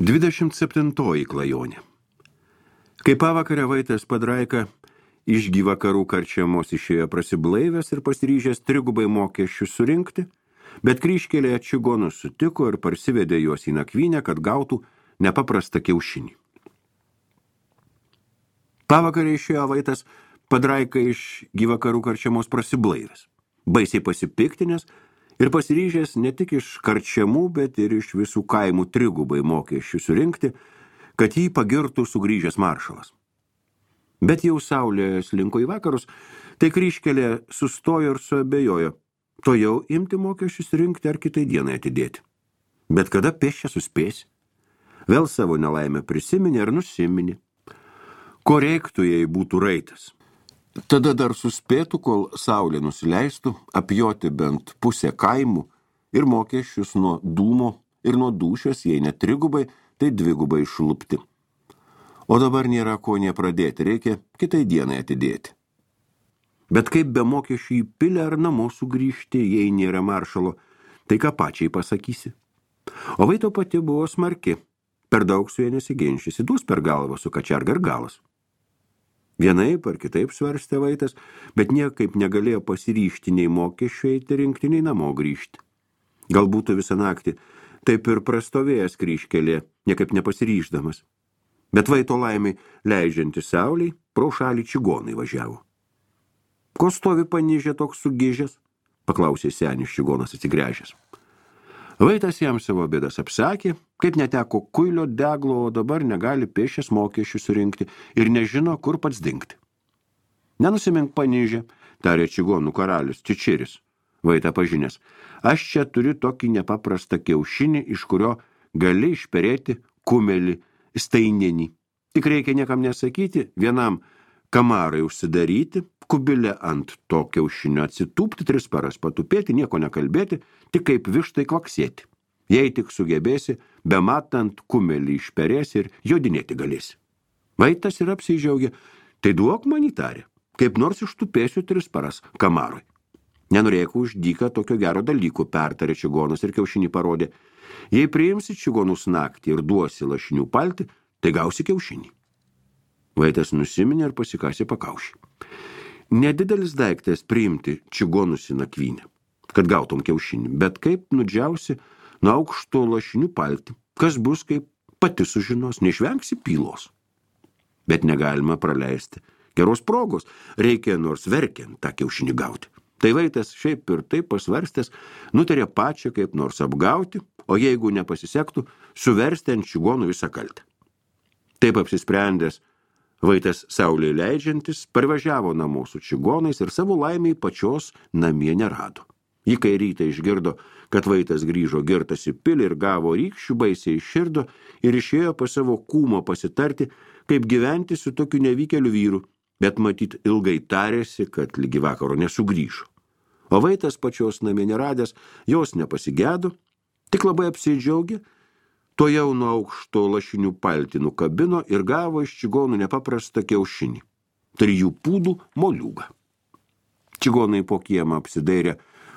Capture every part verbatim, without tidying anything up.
Dvidešimt septintoji klajonė. Kai pavakarę Vaitas Padraika iš Gyvakarų karčiamos išėjo prasiblaivęs ir pasiryžęs trigubai mokesčius surinkti, bet kryžkelėje čigonus sutiko ir parsivedė juos į nakvynę, kad gautų nepaprastą kiaušinį. Pavakarę išėjo Vaitas Padraika iš Gyvakarų karčiamos prasiblaivęs, baisiai pasipiktinęs ir pasiryžęs ne tik iš karčiamų, bet ir iš visų kaimų trigubai mokesčių surinkti, kad jį pagirtų sugrįžęs maršalas. Bet jau saulė slinko į vakarus, tai kryžkelė sustojo ir suabejojo, to jau imti mokesčius rinkti ar kitai dienai atidėti. Bet kada pėsčia suspėsi? Vėl savo nelaimę prisiminė ir nusiminė. Ko reiktų, jei būtų raitas? Tada dar suspėtų, kol saulė nusileistų, apjoti bent pusę kaimų ir mokesčius nuo dūmo ir nuo dūšios, jei ne trigubai, tai dvigubai šlupti. O dabar nėra ko nepradėti, reikia kitai dienai atidėti. Bet kaip be mokesčių į pilę ar namo sugrįžti, jei nėra maršalo, tai ką pačiai pasakysi. O Vaito pati buvo smarki, per daug su jie nesiginčysi, duos per galvą su kačiarga ir galas. Vienaip ar kitaip svarstė Vaitas, bet niekaip negalėjo pasiryžti nei mokesčių eiti rinkti, nei namo grįžti. Galbūt visą naktį taip ir prastovėjęs kryžkelė, niekaip nepasiryždamas. Bet Vaito laimiai, leidžianti sauliai, pro šalį čigonai važiavo. Ko stovi panižė toks sugižęs? Paklausė senis čigonas atsigręžęs. Vaitas jam savo bėdas apsakė, kaip neteko kuilio deglo, o dabar negali pėsčias mokesčių surinkti ir nežino, kur pats dingti. Nenusimink panižė, tarė čigonų karalius Čičiris, Vaitą pažinęs. Aš čia turiu tokį nepaprastą kiaušinį, iš kurio gali išperėti kumelį staininį. Tik reikia niekam nesakyti, vienam kamarai užsidaryti, kubilę ant to kiaušinio atsitūpti, tris paras patupėti, nieko nekalbėti, tik kaip vištai kvaksėti. Jei tik sugebėsi, bematant kumelį išperėsi ir jodinėti galėsi. Vaitas ir apsidžiaugė, tai duok man įtarė, kaip nors ištupėsiu tris paras kamarui. Nenorėku už dyką tokio gero dalyko, pertarė čigonas ir kiaušinį parodė. Jei priimsi čigonus naktį ir duosi lašinių palti, tai gausi kiaušinį. Vaitas nusiminė ir pasikasė pakaušį. Nedidelis daiktas priimti čigonus į nakvynę, kad gautum kiaušinį, bet kaip nudžiausi nuo aukšto lašinių palti, kas bus, kaip pati sužinos, neišvengsi pylos. Bet negalima praleisti geros progos, reikia nors verkiant tą kiaušinį gauti. Tai Vaitas šiaip ir taip pasvarstęs, nutarė pačią kaip nors apgauti, o jeigu nepasisektų, suversti ant čigonų visą kaltę. Taip apsisprendęs, Vaitas saulei leidžiantis parvažiavo namo su čigonais ir savo laimiai pačios namie nerado. Ji kai rytą išgirdo, kad Vaitas grįžo girtas į pilį ir gavo rykščių, baisiai išširdo ir išėjo pas savo kūmo pasitarti, kaip gyventi su tokiu nevykeliu vyru, bet matyt ilgai tarėsi, kad lygi vakaro nesugrįžo. O Vaitas pačios namie neradęs, jos nepasigedo, tik labai apsidžiaugė, to jau nuo aukšto lašinių paltį nukabino ir gavo iš čigonų nepaprastą kiaušinį, trijų pūdų moliūgą. Čigonai po kiemą apsidairė,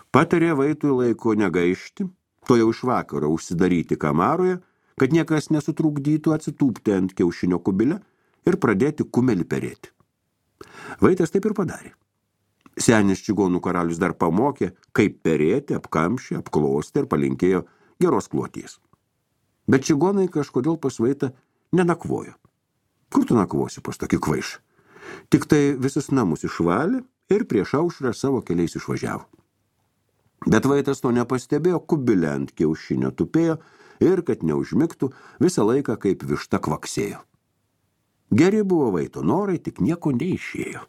patarė Vaitui laiko negaišti, to jau iš vakaro užsidaryti kamaroje, kad niekas nesutrukdytų atsitūpti ant kiaušinio kubilę ir pradėti kumelį perėti. Vaitas taip ir padarė. Senis čigonų karalius dar pamokė, kaip perėti, apkamšė, apklostė ir palinkėjo geros kloties. Bet čigonai kažkodėl pas Vaitą nenakvojo. Kur tu nakvosi pas tokį kvaišą? Tik tai visus namus išvalė ir prieš aušrą savo keliais išvažiavo. Bet Vaitas to nepastebėjo, kubilę ant kiaušinio tupėjo ir, kad neužmigtų, visą laiką kaip višta kvaksėjo. Geri buvo Vaito norai, tik nieko neišėjo.